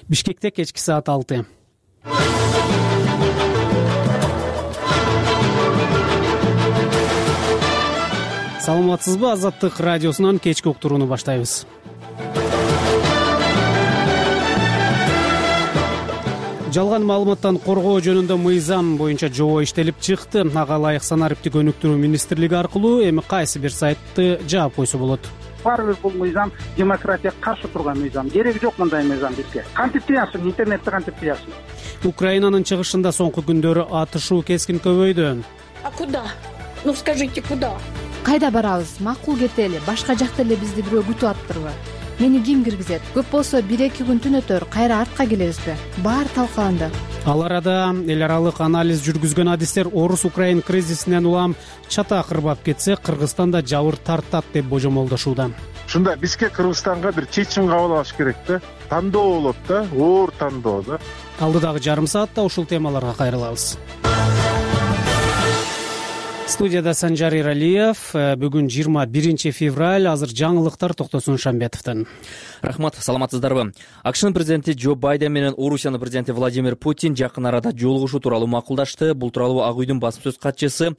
Бишкекте кечки саат 6. Саламатсызбы? Азаттык радиосунан кечки уктурууну баштайбыз. Жалган маалыматтан коргоо жөнүндө мыйзам боюнча жобо иштелип чыкты. Ага ылайык санариптик өнүктүрүү министрлиги аркылуу эми кайсы бир сайтты жаап койсо болот? Баары бир бул мыйзам демократияга каршы турган мыйзам. Кереги жок мындай мыйзам бизге. Кантип тыясың? Интернетти кантип тыясың? Украинанын чыгышында соңку күндөрү атышуу кескин көбөйдү. А куда? Ну скажите, куда? Кайда барабыз? Макул кетели. Башка жакта эле бизди бирөө күтүп атыптырбы? Мени ким киргизет? Көп болсо 1-2 күн түнөтөр, кайра артка келебизби? Баары талкаланды. Ал арада эл аралык анализ жүргүзгөн адистер орус-украин кризисинен улам чатак ырбап кетсе, Кыргызстан да жабыр тартат деп божомолдошууда. Ушунда бизге Кыргызстанга бир чечим кабыл алыш керек да. Тандоо болот да, оор тандоо да. Алдыдагы жарым саатта ушул темаларга кайрылабыз. Студияда Санжар Иралиев. Бүгүн 21 февраль. Азыр жаңылыктар Токтосун Шамбетовдон. Рахмат, саламатсыздарбы? АКШнын президенти Джо Байден менен Орусиянын президенти Владимир Путин жакын арада жолугушуу тууралуу макулдашты. Бул тууралуу Ак үйдүн басым сөз катчысы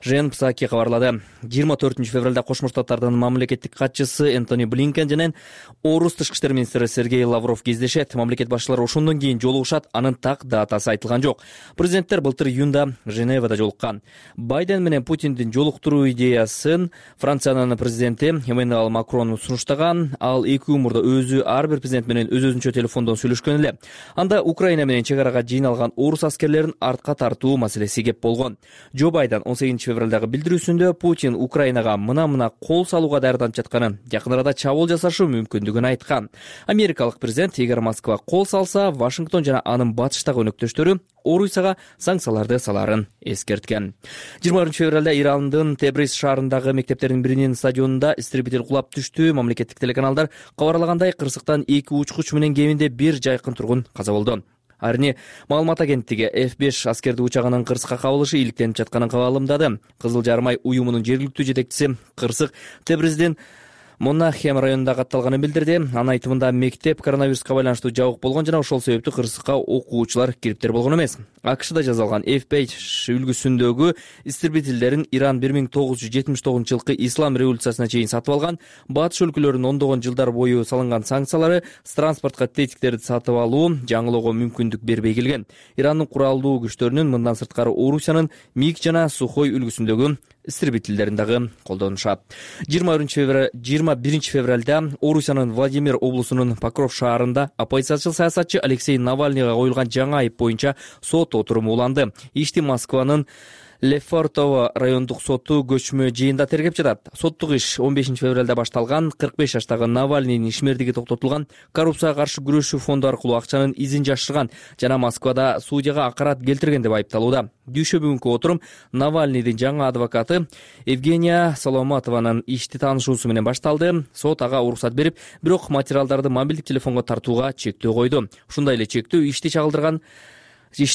Жен Псаки кабарлады. 24 февралда Кошмо Штаттардын мамлекеттик катчысы Энтони Блинкен менен Орус тышкы иштер министри Сергей Лавров кездешет. Мамлекет башчылары ошондон кийин жолугушат. Анын так датасы айтылган жок. Президенттер былтыр июнда Женевада жолуккан. Байден менен Путиндин жолуктуруу идеясын Франциянын президенти Эммануэль Макрон сунуштаган. Ал эки умурда өзү ар бир президент менен өз-өзүнчө телефондон сүйлөшкөн эле. Анда Украина менен чек арага жыйналган орус аскерлерин артка тартуу маселеси кеп болгон. Джо Байден 18 февралдагы билдирүүсүндө Путин Украинага мына кол салууга даярданып жатканын, жакын арада чабуул жасашы мүмкүндүгүн айткан. Америкалык президент эгер Москва кол салса, Вашингтон жана анын батыштагы өнөктөштөрү Орусияга санкцияларды саларын эскерткен. 20 февралда Ирандын Тебриз шаарындагы мектептердин биринин стадионунда истребитель кулап түштү. Мамлекеттик телеканалдар кабарлагандай, кырсыктан 2 учкуч менен кеминде 1 жайкын тургун каза болду. Арни маалымат агенттиги F5 аскердик учагынын кырсыкка кабылышы иликтенип жатканын кабарламдады. Кызыл Жарым ай уюмунун жергиликтүү жетекчиси кырсык Тебриздин Монахем районунда катталганын билдирди. Анын айтымында мектеп коронавируска байланыштуу жабык болгон жана ошол себептүү кырсыкка окуучулар кириптер болгон эмес. АКШда жазалган F5 үлгүсүндөгү истребителдерин Иран 1979 жылкы ислам революциясына чейин сатып алган. Батыш өлкөлөрүнүн ондогон жылдар бою салынган санкциялары транспортко тетиктерди сатып алуу жаңылоого мүмкүндүк бербей келген. Ирандын куралдуу күчтөрүнүн мындан сырткары Орусиянын МиГ жана Сухой үлгүсүндөгү истребителдерин дагы колдонушат. 21 февралда Орусиянын Владимир облусунун Покров шаарында оппозициячыл саясатчы Алексей Навальныйга коюлган жаңы айып боюнча сот отуруму уланды. Ишти Москванын Лефортово райондук соту көчмө жыйында тергеп жатат. Соттук иш 15 февралда башталган. 45 жаштагы Навальныйдын ишмердиги токтотулган. Коррупцияга каршы күрөшүү фонду аркылуу акчанын изин жашырган жана Москвада судьяга акарат келтирген деп айыпталууда. Дүйшө бүгүнкү отурум Навальныйдын жаңы адвокаты Евгения Соломатованын ишти таанышуусу менен башталды. Сот ага уруксат берип, бирок материалдарды мобилдик телефонго тартууга чектөө койду. Ушундай эле чектөө ишти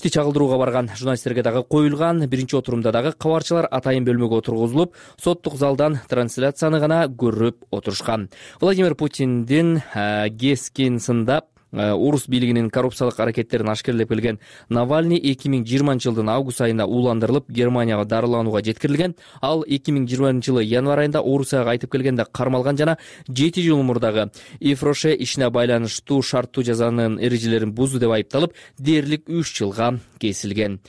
чагылдырууга барган журналисттерге дагы коюлган. Биринчи отурумда дагы кабарчылар атайын бөлмөгө отургузулуп, соттук залдан трансляцияны гана көрүп отурушкан. Владимир Путиндин кескин сындап орус бийлигинин коррупциялык аракеттерин ашкерлеп келген Навальный 2020 жылдын август айында ууландырылып Германияга дарыланууга жеткирилген. Ал 2020 жылы январь айында Орусияга кайтып келгенде кармалган жана 7 жыл мурдагы Ифроше ишине байланыштуу шарттуу жазанын эрежелерин бузду деп айыпталып, дээрлик 3 жылга кесилген.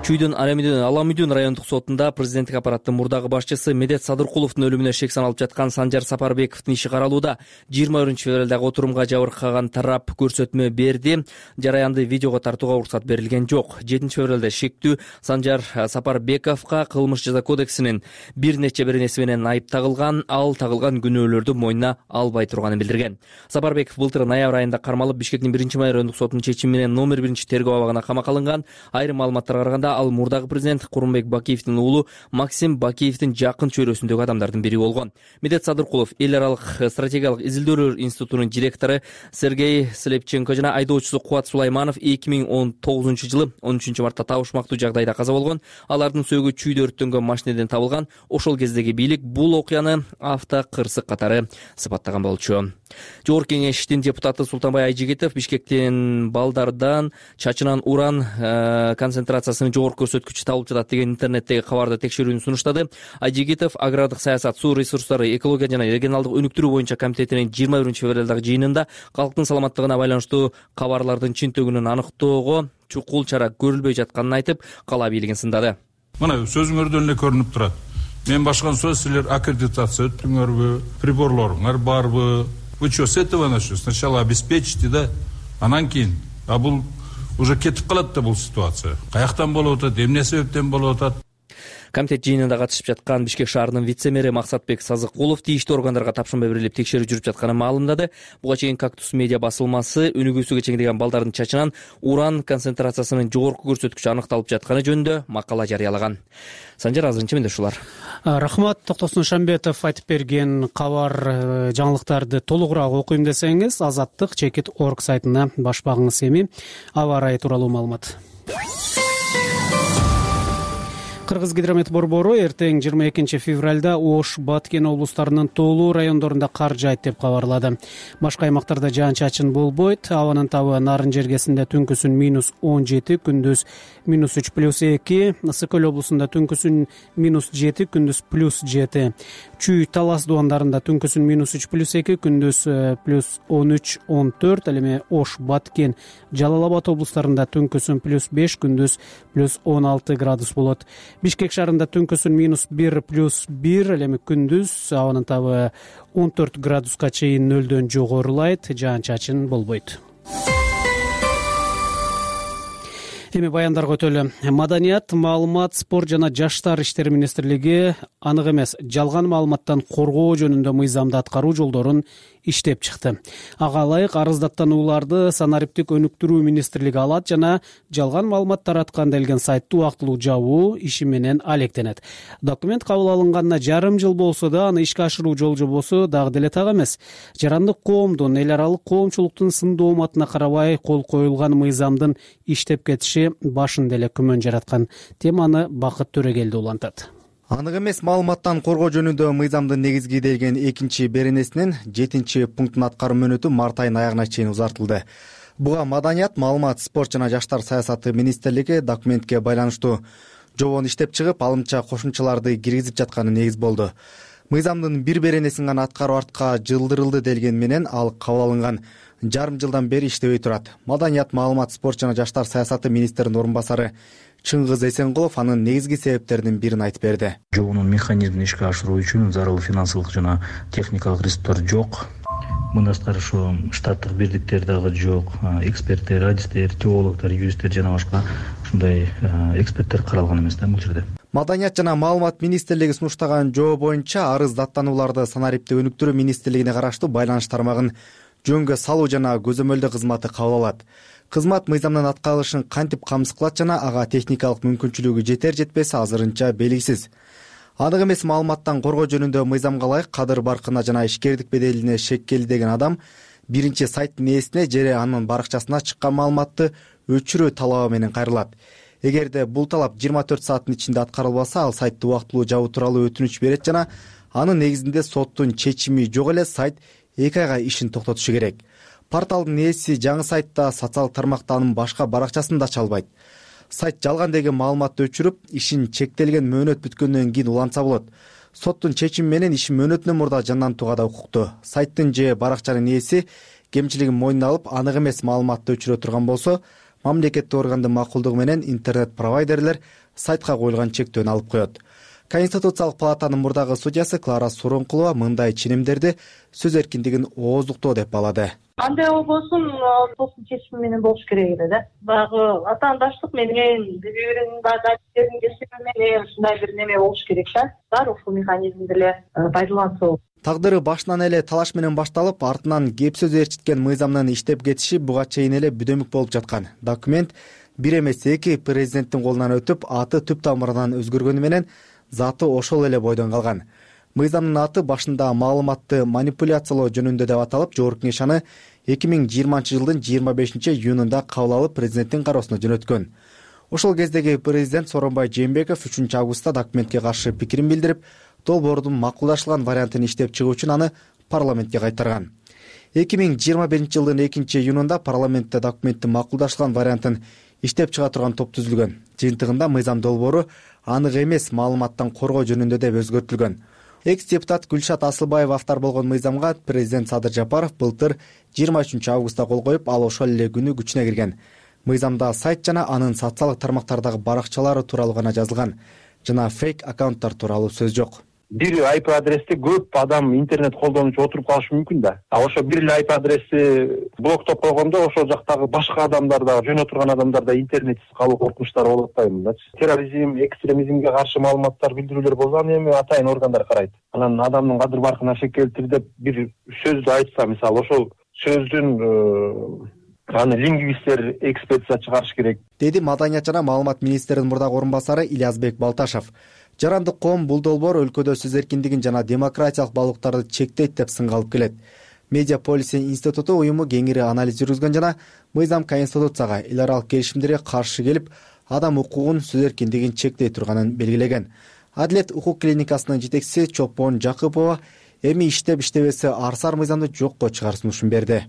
Чүйдүн Аламүйдүн райондук сотунда президенттик аппараттын мурдагы башчысы Медет Садыркуловдун өлүмүнө шек саналып жаткан Санжар Сапарбековдун иши каралууда. 21 февралдагы отурумга жабыркаган тарап көрсөтмө берди. Жараянды видеого тартууга уруксат берилген жок. 7 февралда шектүү Санжар Сапарбековго кылмыш жаза кодексинин бир нече беренеси менен айып тагылган. Ал тагылган күнөөлөрдү мойнуна албай турганын билдирген. Сапарбеков былтыр ноябрь айында кармалып, Бишкектин 1-май райондук сотунун чечими менен номер 1 тергөө абагына камакка алынган. Айрым маалыматтарга караганда, ал мурдагы президент Курманбек Бакиевдин уулу Максим Бакиевдин жакын чөйрөсүндөгү адамдардын бири болгон. Медет Садыркулов эл аралык стратегиялык изилдөөлөр институтунун директору Сергей Слепченко жана айдоочусу Кубат Сулайманов 2019 жылы 13 мартта табышмактуу жагдайда каза болгон. Алардын сөөгү чүйдө өрттөнгөн машинеден табылган. Ошол кездеги бийлик бул окуяны автокырсык катары сыпаттаган болчу. Жогорку Кеңештин депутаты Султанбай Айжигитов Бишкектин балдардан чачынан уран концентрациясынын жогорку көрсөткүчү табылып жатат деген интернеттеги кабарды текшерүүнү сунуштады. Айжигитов агрардык саясат, суу ресурстары, экология жана регионалдык өнүктүрүү боюнча комитетинин 21-февралдагы жыйынында калктын саламаттыгына байланыштуу кабарлардын чынтөгүнүн аныктоого чукул чара көрүлбөй жатканын айтып, кала бийлигин сындады. Мына сөзүңөрдөн эле көрүнүп турат. Мен башкан сөз силер аккредитация өттүңөрбү, приборлоруңар барбы? Вы что, с этого начнете? Сначала обеспечите, да? Анан кийин. А бул уже кетип калат да бул ситуация. Каяктан болуп атат, эмне себептен болуп атат? Комитет жыйынында катышып жаткан Бишкек шаарынын вице-мэри Максатбек Сазыкулов тийиштүү органдарга тапшырма берилип текшерүү жүрүп жатканын маалымдады. Буга чейин Кактус медиа басылмасы өнүгүүсүгө чейиндеген балдардын чачынан уран концентрациясынын жогорку көрсөткүчү аныкталып жатканы жөнүндө макала жарыялаган. Санжар, азырынча менде ушулар. Рахмат. Токтосун Шамбетов айтып берген кабар жаңылыктарды толугураак окуйм десеңиз Азаттык.org сайтына баш багыңыз. Эми аба ырайы тууралуу маалымат. Кыргыз гидромет борбору эртең 22 февралда Ош, Баткен облустарынын тоолуу райондорунда кар жаайт деп кабарлады. Башка аймактарда жаан-чачын болбойт. Абанын табы Нарын жергесинде түнкүсүн -17, күндүз -3+2, Ысык Көл облусунда түнкүсүн -7, күндүз +7. Чүй, Талас дубандарында түнкүсүн -3+2, күндүз +13-14. Ал эми Ош, Баткен, Жалал Абад облустарында түнкүсүн +5, күндүз +16 градус болот. Бишкек шаарында түнкүсүн -1+1, ал эми күндүз абанын табы 14 градуска чейин нөлдөн жогорулайт, жаан-чачын болбойт. Эми баяндарга өтөлү. Маданият, маалымат, спорт жана жаштар иштери министрлиги анык эмес жалган маалыматтан коргоо жөнүндө мыйзамды аткаруу жолдорун иштеп чыкты. Ага ылайык арыздаттанууларды санариптик өнүктүрүү министрлиги алат жана жалган маалымат тараткан делген сайтты убактылуу жабуу иши менен алектенет. Документ кабыл алынганына жарым жыл болсо да аны ишке ашыруу жол-жобосу дагы деле так эмес. Жарандык коомдун, эл аралык коомчулуктун сын дооматына карабай кол коюлган мыйзамдын иштеп кетиши башында эле күмөн жараткан. Теманы Бакыт Төрөгелди улантат. Анык эмес маалыматтан коргоо жөнүндө мыйзамдын негизги делген 2-беренесинин 7-пунктун аткаруу мөөнөтү март айынын аягына чейин узартылды. Буга Маданият, маалымат, спорт жана жаштар саясаты министрлиги документке байланыштуу жобону иштеп чыгып, алымча кошумчаларды киргизип жатканы негиз болду. Мыйзамдын бир беренесин гана аткаруу артка жылдырылды делген менен ал кабыл алынган жарым жылдан бери иштебей турат. Маданият, маалымат, спорт жана жаштар саясаты министринин орун басары Чыңгыз Эсенкулов анын негизги себептеринин бирин айтып берди. Жобонун механизмин ишке ашыруу үчүн зарыл финансылык жана техникалык ресурстар жок. Мындан тышкары ошо штаттык бирдиктер дагы жок. Эксперттер, радистер, теологдор, юристтер жана башка ушундай эксперттер каралган эмес да бул жерде. Маданият жана маалымат министрлиги сунуштаган жобо боюнча арыз даттанууларды санариптик өнүктүрүү министрлигине караштуу байланыш тармагын жөнгө салуу жана көзөмөлдөө кызматы кабыл алат. Кызмат мыйзамдын аткарылышын кантип камсыз кылат жана ага техникалык мүмкүнчүлүгү жетер-жетпес азырынча белгисиз. Анык эмес маалыматтан коргоо жөнүндө мыйзамга ылайык кадыр баркына жана ишкердик беделине шеккели деген адам биринчи сайттын ээсине же анын баракчасына чыккан маалыматты өчүрүү талабы менен кайрылат. Эгерде бул талап 24 сааттын ичинде аткарылбаса, ал сайтты убактылуу жабуу тууралуу өтүнүч берет жана анын негизинде соттун чечими жок эле сайт 2 айга ишин токтотушу керек. Порталдын ээси жаңы сайтта социалдык тармакта анын башка баракчасын да ача албайт. Сайт жалган деген маалыматты өчүрүп, ишин чектелген мөөнөт бүткөндөн кийин улантса болот. Соттун чечими менен иши мөөнөтүнөн мурда жандантууга да укуктуу. Сайттын же баракчанын ээси кемчилигин мойнуна алып, анык эмес маалыматты өчүрө турган болсо, мамлекеттик органдын макулдугу менен интернет-провайдерлер сайтка коюлган чектөөнү алып коет. Конституциялык палатанын мурдагы судьясы Клара Суронкулова мындай ченемдерди сөз эркиндигин ооздуктоо деп балады. Андай болбосун, соттун чечими менен болуш керек эле да. Баягы атаандаштык менен, бири-биринин дадистерин кесиби менен ушундай бир неме болуш керек да. Баары ушул механизмди эле пайдаланса. Тагдыры башынан эле талаш менен башталып, артынан кеп сөз ээрчиткен мыйзамдын иштеп кетиши буга чейин эле бүдөмүк болуп жаткан. Документ бир эмес 2 президенттин колунан өтүп, аты түп тамырынан өзгөргөнү менен заты ошол эле бойдон калган. Мыйзамдын аты башында маалыматты манипуляциялоо жөнүндө деп аталып, Жогорку Кеңеш аны 2020 жылдын 25 июнунда кабыл алып, президенттин кароосуна жөнөткөн. Ошол кездеги президент Сооронбай Жээнбеков 3 августта документке каршы пикирин билдирип, долбоордун макулдашылган вариантын иштеп чыгуу үчүн аны парламентке кайтарган. 2021 жылдын 2-июнунда парламентте документтин макулдашылган вариантын иштеп чыга турган топ түзүлгөн. Жыйынтыгында мыйзам долбоору анык эмес маалыматтан коргоо жөнүндө деп өзгөртүлгөн. Экс-депутат Гүлшат Асылбаева автор болгон мыйзамга президент Садыр Жапаров былтыр 23 августта кол коюп, ал ошол эле күнү күчүнө кирген. Мыйзамда сайт жана анын социалдык тармактардагы баракчалары тууралуу гана жазылган, жана фейк аккаунттар тууралуу сөз жок. Бир IP адресте көп адам интернет колдонуучу отуруп калышы мүмкүн да. Ошо бир эле IP адрести блоктоп койгондо ошол жактагы башка адамдар да, жөн отурган адамдар да интернетсиз калуу коркунучтары болот да мындачы. Терроризм, экстремизмге каршы маалыматтар билдирүүлөр болсо аны эми атайын органдар карайт. Анан адамдын кадыр баркына шек келтир деп бир сөздү айтса, мисалы ошол сөздүн аны лингвисттер экспертиза чыгарыш керек, деди Маданият жана маалымат министринин мурдагы орун басары Ильязбек Балташев. Жарандык коом бул долбоор өлкөдө сөз эркиндигин жана демократиялык баалуулуктарды чектейт деп сынга алып келет. Медиа Policy институту уюму кеңири анализ жүргүзгөн жана мыйзам Конституцияга, эл аралык келишимдерге каршы келип, адам укугун, сөз эркиндигин чектей турганын белгилеген. Адилет укук клиникасынын жетекчиси Чопон Жакыпова эми иштеп-иштебеси арсар мыйзамды жокко чыгаруу сунушун берди.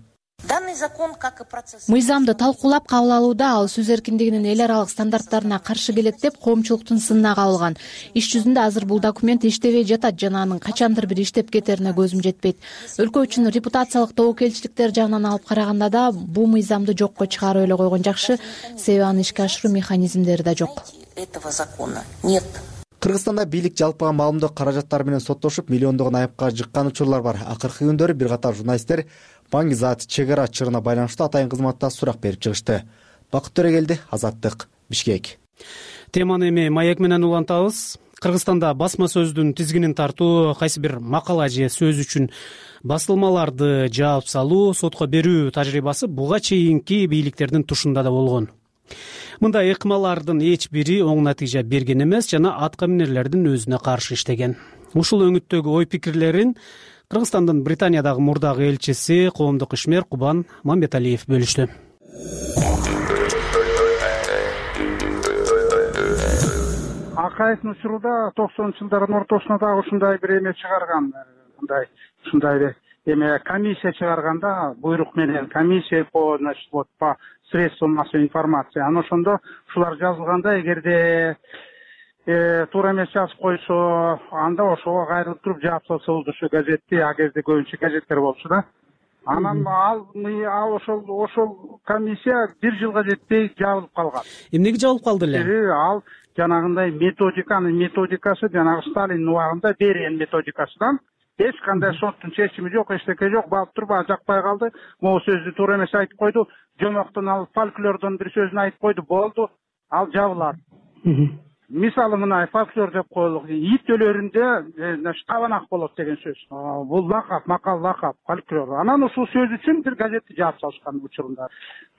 Мыйзамды талкуулап кабыл алууда ал сөз эркиндигинин эл аралык стандарттарына каршы келет деп коомчулуктун сынына кабылган. Иш жүзүндө азыр бул документ иштебей жатат жана анын качандыр бир иштеп кетерине көзүм жетпейт. Өлкө үчүн репутациялык тобокелчиликтер жагынан алып караганда да бул мыйзамды жокко чыгарып эле койгон жакшы, себеби аны ишке ашыруу механизмдери да жок. Кыргызстанда бийлик жалпыга маалымдоо каражаттары менен соттошуп, миллиондогон айыпка жыккан учурлар бар. Акыркы күндөрү бир катар журналисттер Баңгизат чек ара чырына байланыштуу атайын кызматта сурак берип чыгышты. Бакыт Төрөгелди, Азаттык, Бишкек. Теманы эми маек менен улантабыз. Кыргызстанда басма сөздүн тизгинин тартуу, кайсы бир макала же сөз үчүн басылмаларды жаап салуу, сотко берүү тажрыйбасы буга чейинки бийликтердин тушунда да болгон. Мындай ыкмалардын эч бири оң натыйжа берген эмес жана аткаминерлердин өзүнө каршы иштеген. Ушул өңүттөгү ой пикирлерин Кыргызстандын Британиядагы мурдагы элчиси, коомдук ишмер Кубан Мамбеталиев бөлүштү. Акаевдин учурунда 90-жылдардын ортосуна дагы ушундай бир эме чыгарган, ушундай эме комиссия чыгарганда, буйрук менен комиссия по средствам массовой информации. Аны ошондо ушулар жазылганда, эгерде туура эмес жазып койсо, анда ошого кайрылып туруп жаап салса болду ушу газетти, а кезде көбүнчө газеттер болчу да. Анан ал ошол комиссия бир жылга жетпей жабылып калган. Эмнеге жабылып калды эле? Ал жанагындай методикасы жанагы Сталиндин убагында берген методикасынан эч кандай соттун чечими жок, эчтеке жок, багып туруп жакпай калды. Могу сөздү туура эмес айтып койду, жомоктон алып фольклордон бир сөзүн айтып койду, болду, ал жабылат. Мисалы мына фольклор деп коелук, ит өлөрүндө кабанак болот деген сөз. Бул лакап, макал лакап, фольклор. Анан ушул сөз үчүн бир газетти жаап салышкан учурунда.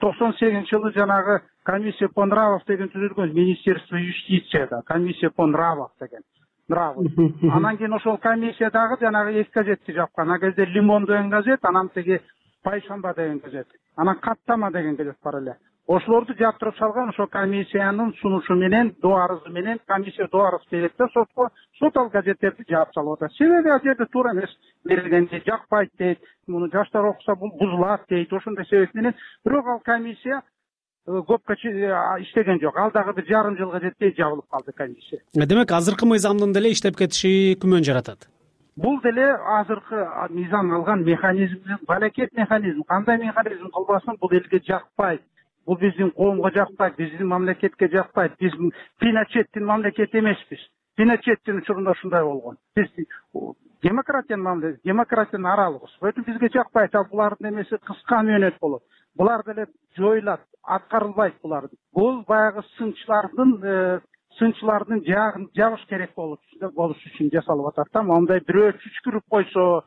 98-жылы жанагы комиссия по нравов деген түзүлгөн, Министерство юстицияда, комиссия по нравов деген. Анан кийин ошол комиссиядагы жанагы эки газетти жапкан. А кезде Лимон деген газет, анан теги Пайшамба деген газет. Анан Каттама деген газет бар эле. Ошолорду жаптырып салган, ошол комиссиянын сунушу менен, доо арызы менен комиссия доо арыз берет да сотко, сот ал газеттерди жаап салып атат. Себеби ал жерде туура эмес берилген, жакпайт дейт, муну жаштар окуса бул бузулат дейт, ошондой себеп менен. Бирок ал комиссия көпкө иштеген жок. Ал дагы бир жарым жылга жетпей жабылып калды комиссия. Демек, азыркы мыйзамдын деле иштеп кетиши күмөн жаратат. Бул деле азыркы мыйзам алган механизмдин балекет механизм. Кандай механизм кылбасын, бул элге жакпайт. Бул биздин коомго жакпайт, биздин мамлекетке жакпайт. Биз Пиночеттин мамлекети эмеспиз. Пиночеттин учурунда ушундай болгон. Биз демократиянын аралыбыз. Өтүп бизге жакпайт, ал булардын эмеси кыска мөөнөт болот. Булар деле жоюлат, аткарылбайт булар. Бул баягы сынчылардын жабыш керек болуш үчүн жасалып атат да. Мондай бирөө чүчкүрүп койсо,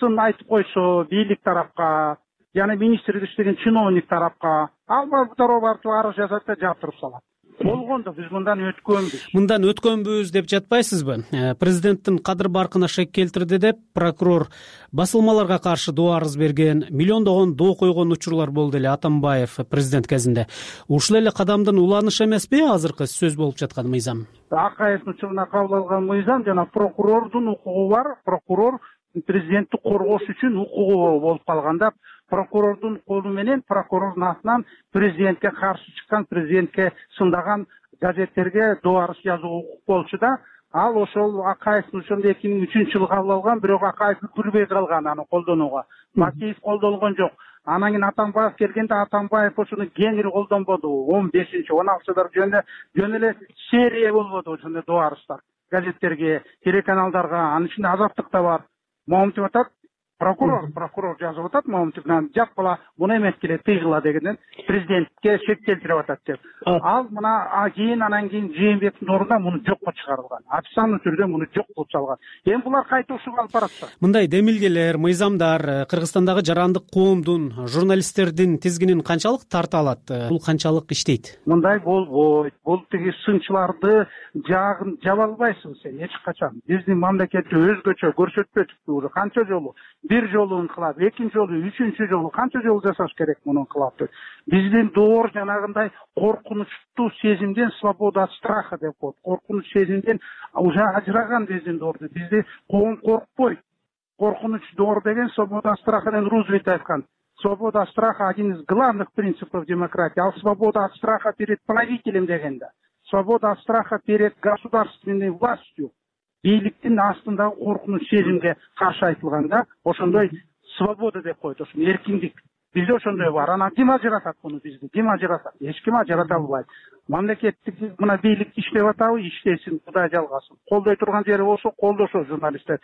сын айтып койсо бийлик тарапка, жана министрлик иштеген чиновник тарапка, ал барып арыз жазат да жаптырып салат. Болгондо биз мындан өткөнбүз деп жатпайсызбы? Президенттин кадыр баркына шек келтирди деп прокурор басылмаларга каршы доо арыз берген, миллиондогон доо койгон учурлар болду эле Атамбаев президент кезинде. Ушул эле кадамдын уланышы эмеспи азыркы сөз болуп жаткан мыйзам? Акаевдин учуруна кабыл алган мыйзам жана прокурордун укугу бар. Прокурор президентти коргош үчүн укугу болуп калганда прокурордун колу менен, прокурордун атынан президентке каршы чыккан, президентке сындаган газеттерге дуарыс жазууга укук болчу да, ал ошол Акаевдин ошондо 2003 жылы кабыл алган, бирок Акаев үлгүрбөй калган аны колдонууга. Макеев колдонгон жок. Анан кийин Атамбаев келгенде Атамбаев ошону кеңири колдонбоду. 15-16 жөн эле серия болбоду ошондой дуарыстар. Газеттерге, телеканалдарга, анын ичинде Азаттык да бар. Момунтип атат, прокурор жазып атат, Момунтиптен жат бала муну эметкиле тыйгыла дегенден президентке шек келтирип атат деп. Ал мына кийин анан кийин Жээнбековдун ордуна муну жокко чыгарылган. Официальный түрдө муну жок кылып салган. Эми булар кайта ушуга алып баратса. Мындай демилгелер, мыйзамдар Кыргызстандагы жарандык коомдун, журналисттердин тизгинин канчалык тарта алат? Бул канчалык иштейт? Мындай болбойт. Бул тиги сынчыларды жагын жаба албайсың сен эч качан. Биздин мамлекетти өзгөчө көрсөтпөдүкпү уже канча жолу? Бир жолу инкылап, экинчи жолу, үчүнчү жолу канча жолу жасаш керек муну инкылапты? Биздин доор жанагындай коркунучтуу сезимден, свобода от страха деп коет. Коркунуч сезимден уже ажыраган биздин доорду. Бизди коом коркпойт. Коркунуч доор деген свобода от страха деген Рузвельт айткан. Свобода от страха один из главных принципов демократии. Ал свобода от страха перед правителем дегенде. Свобода от страха перед государственной властью. Бийликтин астындагы коркунуч сезимге каршы айтылганда ошондой свобода деп коет, ошо эркиндик. Бизде ошондой бар. Анан ким ажыратат муну бизди? Ким ажыратат? Эч ким ажырата албайт. Мамлекеттик мына бийлик иштеп атабы, иштесин, Кудай жалгасын. Колдой турган жери болсо колдошо журналисттер.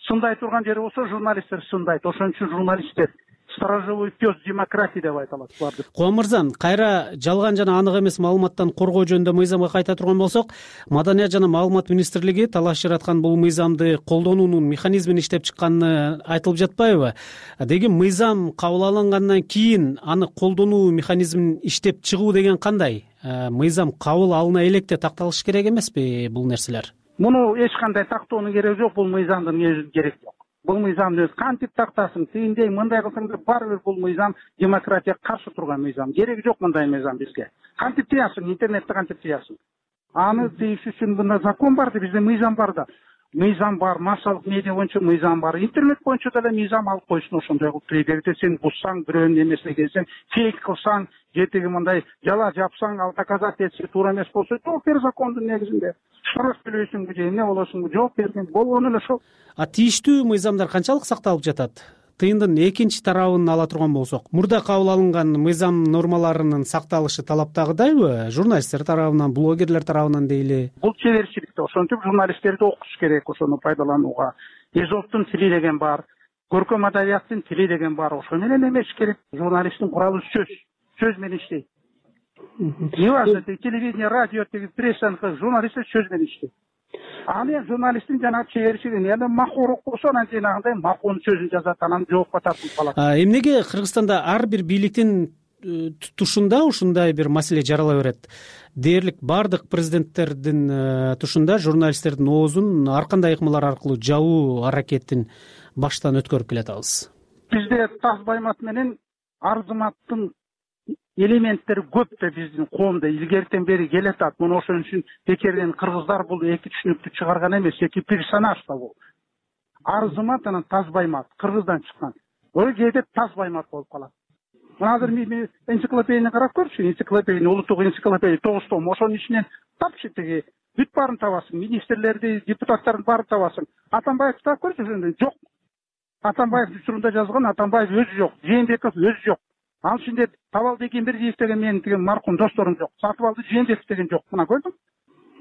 Сындай турган жери болсо журналисттер сындайт. Ошон үчүн журналисттер сторожевой пес демократии деп айтылат буларды. Кубан мырза, кайра жалган жана анык эмес маалыматтан коргоо жөнүндө мыйзамга кайта турган болсок, Маданият жана маалымат министрлиги талаш жараткан бул мыйзамды колдонуунун механизмин иштеп чыкканы айтылып жатпайбы? Деги мыйзам кабыл алынгандан кийин аны колдонуу механизмин иштеп чыгуу деген кандай? Мыйзам кабыл алына электе такталыш керек эмеспи бул нерселер? Муну эч кандай тактоонун кереги жок, бул мыйзамдын өзүнүн кереги жок. Бул мыйзамды кантип тактасын, тигиндей мындай кылсаң да баары бир бул мыйзам демократияга каршы турган мыйзам. Кереги жок мындай мыйзам бизге. Кантип тыясың, интернетти кантип тыясың? Аны тыйыш үчүн мында закон бар да, бизде мыйзам бар да. Мыйзам бар, массалык медиа боюнча мыйзам бар, интернет боюнча деле мыйзам алып койсун ошондой кылып. Эгерде сен буссаң, бирөөнүн эмесине келсең, фейк кылсаң, же тиги мындай жала жапсаң, ал доказать этсе туура эмес болсо, жооп бер закондун негизинде. Штраф төлөйсүңбү же эмне болосуңбу, жооп берген болгону эле ошол. Тийиштүү мыйзамдар канчалык сакталып жатат? Тыйындын экинчи тарабын ала турган болсок, мурда кабыл алынган мыйзам нормаларынын сакталышы талаптагыдайбы? Журналисттер тарабынан, блогерлер тарабынан дейли. Бул чеберчиликте, ошентип журналисттерди окутуш керек ошону пайдаланууга. Эзоптун тили деген бар, көркөм адабияттын тили деген бар. Ошо менен эмеш керек. Журналисттин куралы сөз менен иштейт. Неважно, телевидение, радио, пресса, журналисттер сөз менен иштейт. Аны журналисттин жана чеберчилиги эми макууру болсо анан жанагындай макуунун сөзүн жазат, анан жоопко тартылып калат. Эмнеге Кыргызстанда ар бир бийликтин тушунда ушундай бир маселе жарала берет? Дээрлик бардык президенттердин тушунда журналисттердин оозун ар кандай ыкмалар аркылуу жабуу аракетин баштан өткөрүп келатабыз. Бизде Тазбаймат менен Арзыматтын элементтери көп да биздин коомдо илгертен бери келатат. Муну ошон үчүн бекерден кыргыздар бул эки түшүнүктү чыгарган эмес, эки персонаж да бул. Арзымат анан Тазбаймат кыргыздан чыккан. Ой кээде Тазбаймат болуп калат. Мына азыр мен энциклопедияны карап көрчү, энциклопедия, улуттук энциклопедия 9 том, ошонун ичинен тапчы тиги бүт баарын табасың, министрлерди, депутаттарын баарын табасың. Атамбаевди таап көрчү, ошондой жок. Атамбаев учурунда жазган Атамбаев өзү жок, Жээнбеков өзү жок. Ал ичинде Табалды Экенбердиев деген менин деген маркум досторум жок. Сатыбалды Жээнбеков деген жок. Мына көрдүң?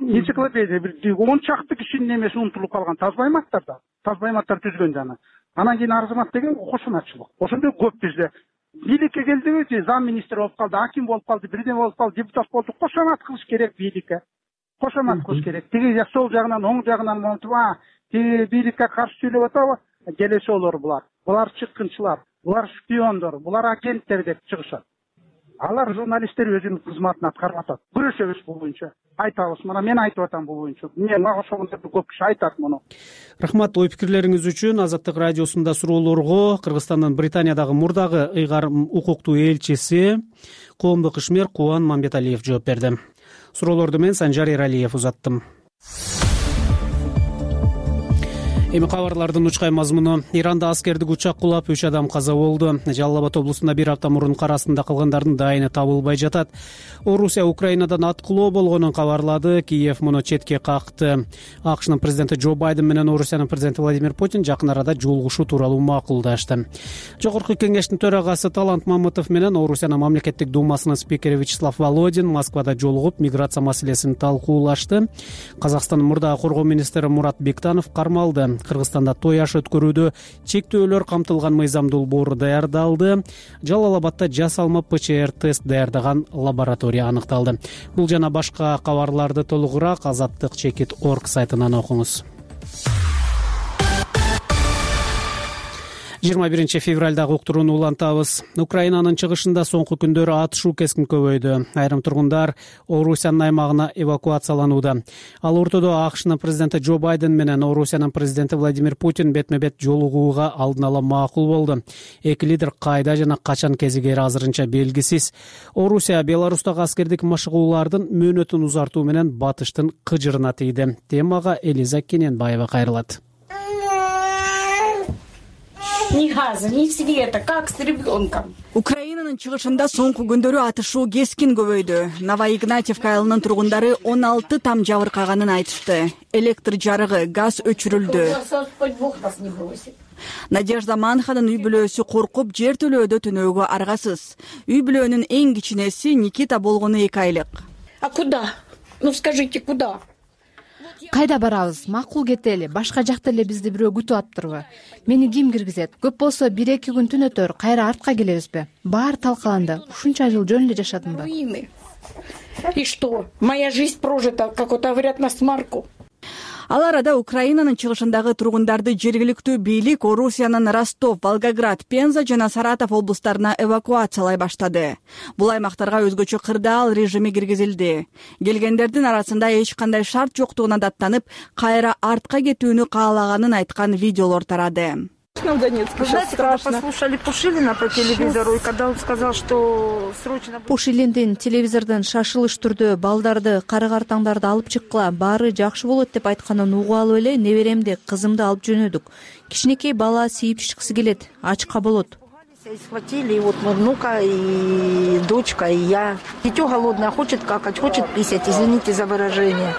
Энциклопедия бир 10 чакты кишинин эмеси унутулуп калган. Тазбайматтар да. Тазбайматтар түзгөн жана. Анан кийин Арзымат деген кошуначылык. Ошондой көп бизде. Бийликке келдиби, зам министр болуп калды, аким болуп калды, бирдеме болуп калды, депутат болду. Кошомат кылыш керек бийликке. Кошомат кылыш керек. Тиги сол жагынан, оң жагынан монтуп, тиги бийликке каршы сүйлөп атабы? Келесолор булар. Булар чыккынчылар, булар шпиондор, булар агенттер деп чыгышат. Алар журналисттер өзүнүн кызматын аткарып атат. Күрөшөбүз бул боюнча. Айтабыз, мына мен айтып атам бул боюнча. Мага ошондой көп киши айтат муну. Рахмат ой пикирлериңиз үчүн. Азаттык радиосунда суроолорго Кыргызстандын Британиядагы мурдагы ыйгарым укуктуу элчиси, коомдук ишмер Кубан Мамбеталиев жооп берди. Суроолорду мен Санжар Эралиев узаттым. Эми кабарлардын учкай мазмуну. Иранда аскердик учак кулап 3 адам каза болду. Жалал Абад облусунда бир апта мурун кар астында калгандардын дайыны табылбай жатат. Орусия Украинадан аткылоо болгонун кабарлады. Киев муну четке какты. АКШнын президенти Джо Байден менен Орусиянын президенти Владимир Путин жакын арада жолугушуу тууралуу макулдашты. Жогорку кеңештин төрагасы Талант Мамытов менен Орусиянын мамлекеттик думасынын спикери Вячеслав Володин Москвада жолугуп миграция маселесин талкуулашты. Казакстандын мурдагы коргоо министри Мурат Бектанов кармалды. Кыргызстанда той аш өткөрүүдө чектөөлөр камтылган мыйзам долбоору даярдалды. Жалал Абадда жасалма ПЧР тест даярдаган лаборатория аныкталды. Бул жана башка кабарларды толугураак azattik.org сайтынан окуңуз. 21 февралдагы уктурууну улантабыз. Украинанын чыгышында соңку күндөрү атышуу кескин көбөйдү. Айрым тургундар Орусиянын аймагына эвакуацияланууда. Ал ортодо АКШнын президенти Джо Байден менен Орусиянын президенти Владимир Путин бетме-бет жолугууга алдын ала макул болду. Эки лидер кайда жана качан кезигери азырынча белгисиз. Орусия Беларустагы аскердик машыгуулардын мөөнөтүн узартуу менен батыштын кыжырына тийди. Темага Элиза Кененбаева кайрылат. Ни газа, ни света, как с ребенком. Украинанын чыгышында соңку күндөрү атышуу кескин көбөйдү. Новоигнатьевка айылынын тургундары 16 там жабыркаганын айтышты. Электр жарыгы, газ өчүрүлдү. Надежда Манханын үй бүлөсү коркуп жер төлөөдө түнөөгө аргасыз. Үй бүлөнүн эң кичинеси Никита болгону 2 айлык. А куда? Ну скажите, куда? Кайда барабыз? Макул кетели. Башка жакта эле бизди бирөө күтүп атыптырбы? Мени ким киргизет? Көп болсо 1-2 күн түнөтөр, кайра артка келебизби? Баары талкаланды. Ушунча жыл жөн эле жашадымбы? И что? Моя жизнь прожита, как вот говорят, на смарку. Ал арада Украинанын чыгышындагы тургундарды жергиликтүү бийлик Орусиянын Ростов, Волгоград, Пенза жана Саратов облустарына эвакуациялай баштады. Бул аймактарга өзгөчө кырдаал режими киргизилди. Келгендердин арасында эч кандай шарт жоктугуна даттанып, кайра артка кетүүнү каалаганын айткан видеолор тарады. В Донецке сейчас страшно. Послушали Пушилина по телевизору, и когда он сказал, что срочно... Пушилиндин телевизордон шашылыш түрдө балдарды, кары-картаңдарды алып чыккыла, баары жакшы болот деп айтканын угуп алып эле неберемди, кызымды алып жөнөдүк. Кичинекей бала сийип чыккысы келет, ачка болот. Схватили, и вот мой внука, и дочка, и я. Дитё голодное, хочет какать, хочет писать, извините за выражение.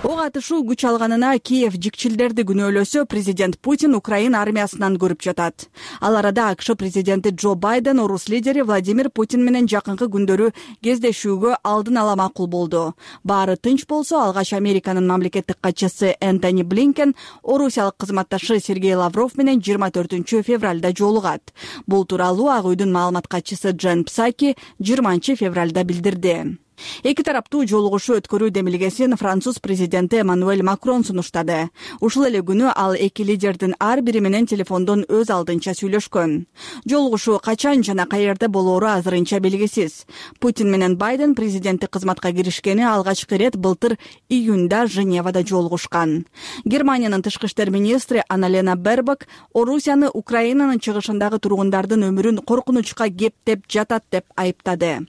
Ок атышуу күч алганына Киев жикчилдерди күнөөлөсө, президент Путин Украина армиясынан көрүп жатат. Ал арада АКШ президенти Джо Байден орус лидери Владимир Путин менен жакынкы күндөрү кездешүүгө алдын ала макул болду. Баары тынч болсо, алгач Американын мамлекеттик катчысы Энтони Блинкен орусиялык кызматташы Сергей Лавров менен 24 февралда жолугат. Бул тууралуу Ак үйдүн маалымат катчысы Джен Псаки 20 февралда билдирди. Эки тараптуу жолугушуу өткөрүү демилгесин Француз президенти Эммануэль Макрон сунуштады. Ушул эле күнү ал эки лидердин ар бири менен телефондон өз алдынча сүйлөшкөн. Жолугушуу качан жана каерде болоору азырынча белгисиз. Путин менен Байден президенттик кызматка киришкени алгачкы ирет былтыр июнда Женевада жолугушкан. Германиянын тышкы иштер министри Анна-Лена Бербок Орусияны Украинанын чыгышындагы тургундардын өмүрүн коркунучка кептеп жатат деп айыптады.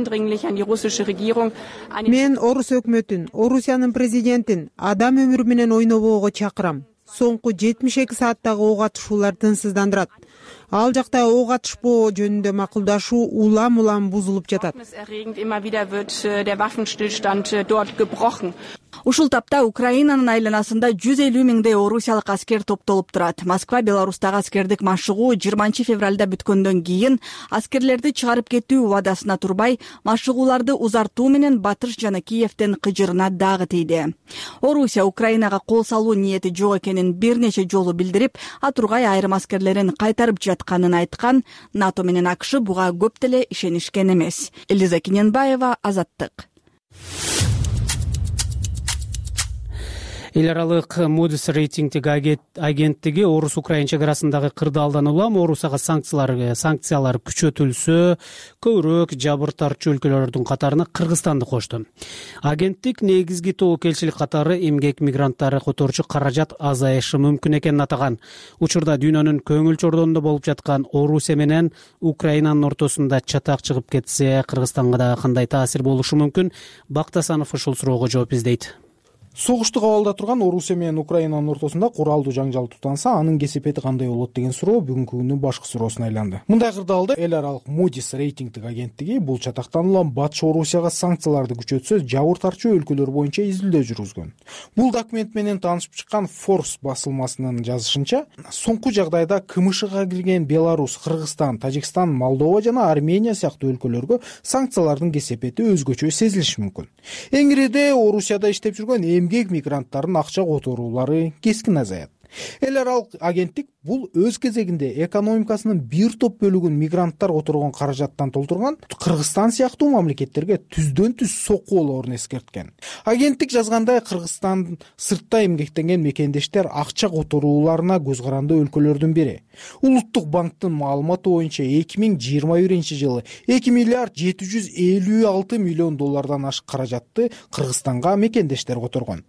Мен орус өкмөтүн, Орусиянын президентин адам өмүрү менен ойнобоого чакырам. Соңку 72 сааттагы ок атышуулар тынчсыздандырат. Ал жакта ок атышпоо жөнүндө макулдашуу улам бузулуп жатат. Ушул тапта Украинанын айланасында 150 миңдей орусиялык аскер топтолуп турат. Москва Беларустагы аскердик машыгуу 20 февралда бүткөндөн кийин аскерлерди чыгарып кетүү убадасына турбай, машыгууларды узартуу менен Батыш жана Киевден кыжырына дагы тийди. Орусия Украинага кол салуу ниети жок экенин бир нече жолу билдирип, Атургай айрым аскерлерин кайтарып жатканын айткан. НАТО менен АКШ буга көп деле ишенишкен эмес. Элиза Кененбаева, Азаттык. Эл аралык Moody's рейтингдик агенттиги орус-украин чек арасындагы кырдаалдан улам Орусияга санкциялар күчөтүлсө, көбүрөөк жабыр тартчу өлкөлөрдүн катарына Кыргызстанды кошту. Агенттик негизги тобокелчилик катары эмгек мигранттары которчу каражат азайышы мүмкүн экенин атаган. Учурда дүйнөнүн көңүл чордонунда болуп жаткан Орусия менен Украинанын ортосунда чатак чыгып кетсе, Кыргызстанга да кандай таасир болушу мүмкүн? Бактасанов ушул суроого жооп издейт. Согушту кабалда турган Орусия менен Украинанын ортосунда куралдуу жаңжал тутанса, анын кесепети кандай болот деген суроо бүгүнкү күндүн башкы суроосуна айланды. Мындай кырдаалда эл аралык Moody's рейтингдик агенттиги бул чатактануулан Батыш Орусияга санкцияларды күчөтсө, жабыр тартчу өлкөлөр боюнча изилдөө жүргүзгөн. Бул документ менен таанышып чыккан Forbes басылмасынын жазышынча, соңку жагдайда КМШга кирген Беларусь, Кыргызстан, Тажикстан, Молдова жана Армения сыяктуу өлкөлөргө санкциялардын кесепети өзгөчө сезилиши мүмкүн. Эңириде Орусияда иштеп жүргөн эмгек мигранттардын акча которуулары кескин азаят. Эл аралык агенттик бул өз кезегинде экономикасынын бир топ бөлүгүн мигранттар которгон каражаттан толтурган Кыргызстан сыяктуу мамлекеттерге түздөн түз сокку болоорун эскерткен. Агенттик жазгандай, Кыргызстан сыртта эмгектенген мекендештер акча которууларына көз каранды өлкөлөрдүн бири. Улуттук банктын маалыматы боюнча 2021-жылы 2 миллиард 756 миллион доллардан ашык каражатты Кыргызстанга мекендештер которгон.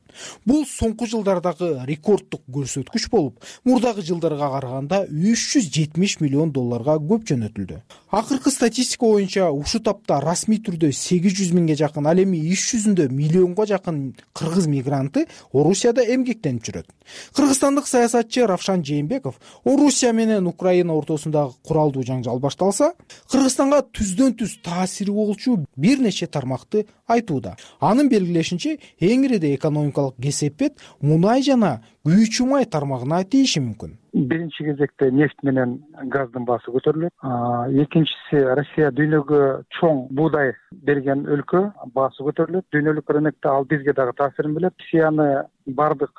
Бул соңку жылдардагы рекорддук көрсөткүч болуп, мурдагы жылдарга караганда 370 миллион долларга көп жөнөтүлдү. Акыркы статистика боюнча ушул тапта расмий түрдө 800 миңге жакын, ал эми иш жүзүндө миллионго жакын кыргыз мигранты Орусияда эмгектенип жүрөт. Кыргызстандык саясатчы Равшан Жээнбеков Орусия менен Украина ортосундагы куралдуу жаңжал башталса, Кыргызстанга түздөн түз таасири болчу бир нече тармакты айтууда. Анын белгилешинче, эңириде экономикалык кесепет мунай жана күйүүчү май тармагына тийиши мүмкүн. Биринчи кезекте нефть менен газдын баасы көтөрүлөт. Экинчиси, Россия дүйнөгө чоң буудай берген өлкө, баасы көтөрүлөт. Дүйнөлүк рынокто ал бизге дагы таасирин берет. Россияны бардык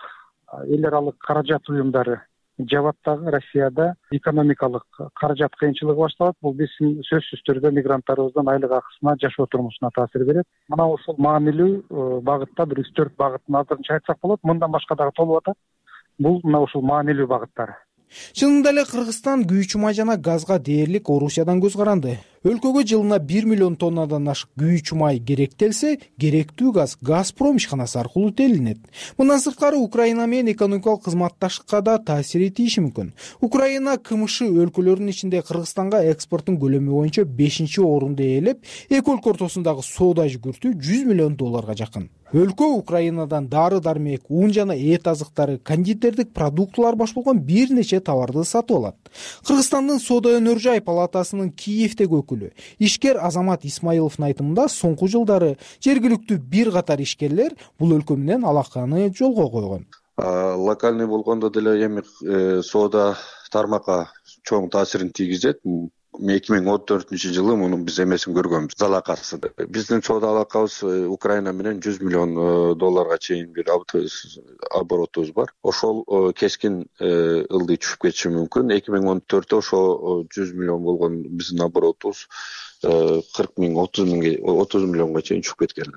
эл аралык каражат уюмдары жабат дагы. Россияда экономикалык каражат кыйынчылыгы башталат. Бул биздин сөзсүз түрдө мигранттарыбыздын айлык акысына, жашоо турмушуна таасир берет. Мына ушул маанилүү багытта бир 3-4 багытын азырынча айтсак болот. Мындан башка дагы толуп атат. Бул мына ушул маанилүү багыттар. Чынында эле Кыргызстан күйүүчү май жана газга дээрлик Орусиядан көз каранды. Өлкөгө жылына 1 миллион тоннадан ашык күйүүчү май керектелсе, керектүү газ Газпром ишканасы аркылуу телинет. Мындан сырткары Украина менен экономикалык кызматташтыкка да таасир этиши мүмкүн. Украина КМШ өлкөлөрүнүн ичинде Кыргызстанга экспорттун көлөмү боюнча 5-орунду ээлеп, эки өлкө ортосундагы соода жүгүртүү 100 миллион долларга жакын. Өлкө Украинадан дары-дармек, ун жана эт азыктары, кондитердик продуктылар баш болгон бир нече товарды сатып алат. Кыргызстандын соода өнөр жай палатасынын Киевдеги өкүлү ишкер Азамат Исмаиловдун айтымында, соңку жылдары жергиликтүү бир катар ишкерлер бул өлкө менен алаканы жолго койгон. Локальный болгондо деле эми соода тармакка чоң таасирин тийгизет. 2014-жылы мунун биз эмесин көргөнбүз, залакасы. Биздин соода алакабыз Украина менен 100 миллион долларга чейин бир оборотубуз бар. Ошол кескин ылдый түшүп кетиши мүмкүн. 2014-тө ошо 100 миллион болгон биздин оборотубуз 40 миң, 30 миллионго чейин түшүп кеткен.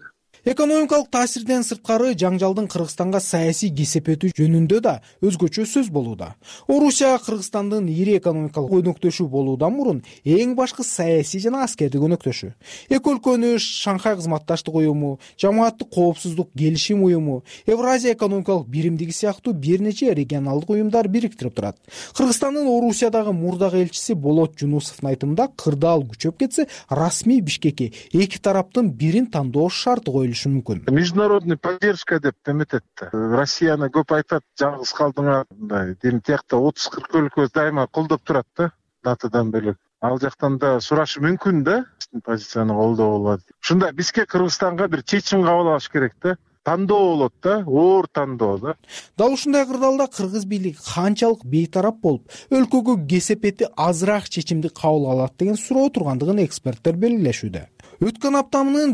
Экономикалык таасирден сырткары жаңжалдын Кыргызстанга саясий кесепети жөнүндө да өзгөчө сөз болууда. Орусия Кыргызстандын ири экономикалык өнөктөшү болуудан мурун эң башкы саясий жана аскердик өнөктөшү. Эки өлкөнү Шанхай кызматташтык уюму, Жамааттык коопсуздук келишим уюму, Евразия экономикалык биримдиги сыяктуу бир нече регионалдык уюмдар бириктирип турат. Кыргызстандын Орусиядагы мурдагы элчиси Болот Жунусовдун айтымында, кырдаал күчөп кетсе, расмий Бишкекке эки тараптын бирин тандоо шарты коюлушу мүмкүн. Международный поддержка деп эметет. Россияны көп айтат, жалгыз калдыңар, мындай. Тиякта 30-40 өлкө дайыма колдоп турат да, НАТОдан бөлөк. Ал жактан да сурашы мүмкүн да, биздин позицияны колдоо болот. Ушунда бизге Кыргызстанга бир чечим кабыл алыш керек да. Тандоо болот да, оор тандоо да. Дал ушундай кырдаалда кыргыз бийлиги канчалык бейтарап болуп, өлкөгө кесепети азыраак чечимди кабыл алат деген суроо тургандыгын эксперттер белгилешүүдө. Өткөн аптанын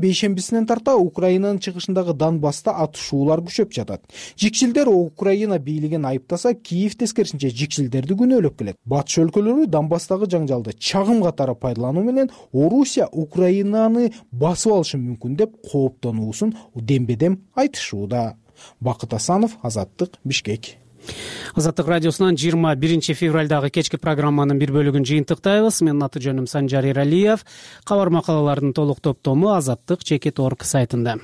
бейшембисинен тарта Украинанын чыгышындагы Донбасста атышуулар күчөп жатат. Жикшилдер Украина бийлигин айыптаса, Киев тескерисинче жикшилдерди күнөөлөп келет. Батыш өлкөлөрү Донбасстагы жаңжалды чагым катары пайдалануу менен Орусия Украинаны басып алышы мүмкүн деп кооптонуусун дембедем айтышууда. Бакыт Асанов, Азаттык, Бишкек. Азаттык радиосунан 21 февралдагы кечки программанын бир бөлүгүн жыйынтыктайбыз. Менин аты жөнүм Санжар Эралиев. Кабар макалалардын толук топтому Азаттык.org сайтында.